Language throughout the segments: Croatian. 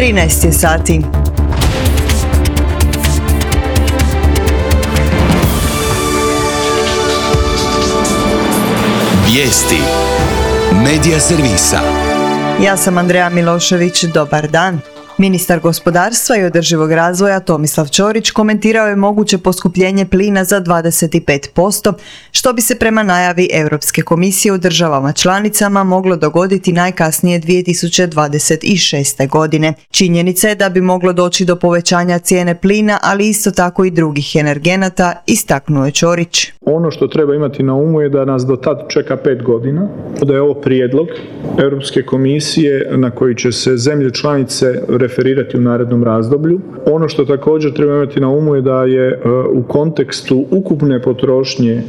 13 je sati. Vijesti Medija servisa. Ja sam Andreja Milošević, dobar dan. Ministar gospodarstva i održivog razvoja Tomislav Ćorić komentirao je moguće poskupljenje plina za 25%, što bi se prema najavi Europske komisije u državama članicama moglo dogoditi najkasnije 2026. godine. Činjenica je da bi moglo doći do povećanja cijene plina, ali isto tako i drugih energenata, istaknuo je Ćorić. Ono što treba imati na umu je da nas do tad čeka 5 godina, da je ovo prijedlog Europske komisije na koji će se zemlje članice referirati u narednom razdoblju. Ono što također treba imati na umu je da je u kontekstu ukupne potrošnje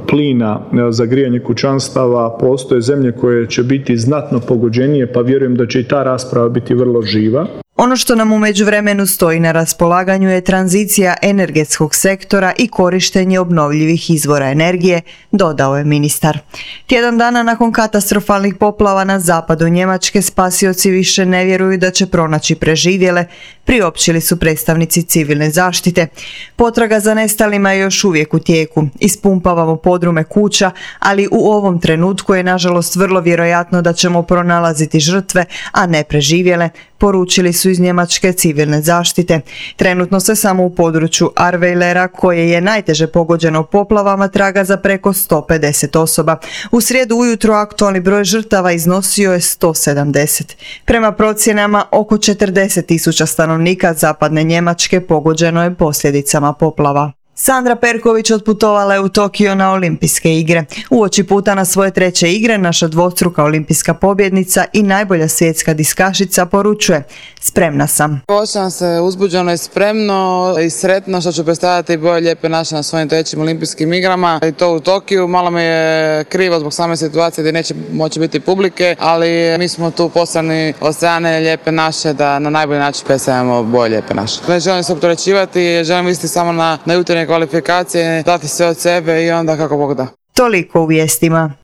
plina za grijanje kućanstava postoje zemlje koje će biti znatno pogođenije, pa vjerujem da će i ta rasprava biti vrlo živa. Ono što nam u međuvremenu stoji na raspolaganju je tranzicija energetskog sektora i korištenje obnovljivih izvora energije, dodao je ministar. Tjedan dana nakon katastrofalnih poplava na zapadu Njemačke spasioci više ne vjeruju da će pronaći preživjele, priopćili su predstavnici civilne zaštite. Potraga za nestalima je još uvijek u tijeku. Ispumpavamo podrume kuća, ali u ovom trenutku je nažalost vrlo vjerojatno da ćemo pronalaziti žrtve, a ne preživjele, poručili su iz njemačke civilne zaštite. Trenutno se samo u području Ahrweilera, koje je najteže pogođeno poplavama, traga za preko 150 osoba. U srijedu ujutro aktualni broj žrtava iznosio je 170. Prema procjenama, oko 40.000 stanovnika zapadne Njemačke pogođeno je posljedicama poplava. Sandra Perković otputovala je u Tokio na olimpijske igre. Uoči puta na svoje 3. igre naša dvostruka olimpijska pobjednica i najbolja svjetska diskašica poručuje: spremna sam. Osjećam se uzbuđeno i spremno i sretno što ću predstavljati boje lijepe naše na svojim 3. olimpijskim igrama. I to u Tokiju. Malo mi je krivo zbog same situacije gdje neće moći biti publike, ali mi smo tu poslani od strane lijepe naše da na najbolji način predstavljamo boje lijepe naše. Ne želim se opterećivati, želim misliti samo na jutarnje kvalifikacije, dati sve od sebe i onda kako Bog da. Toliko u vijestima.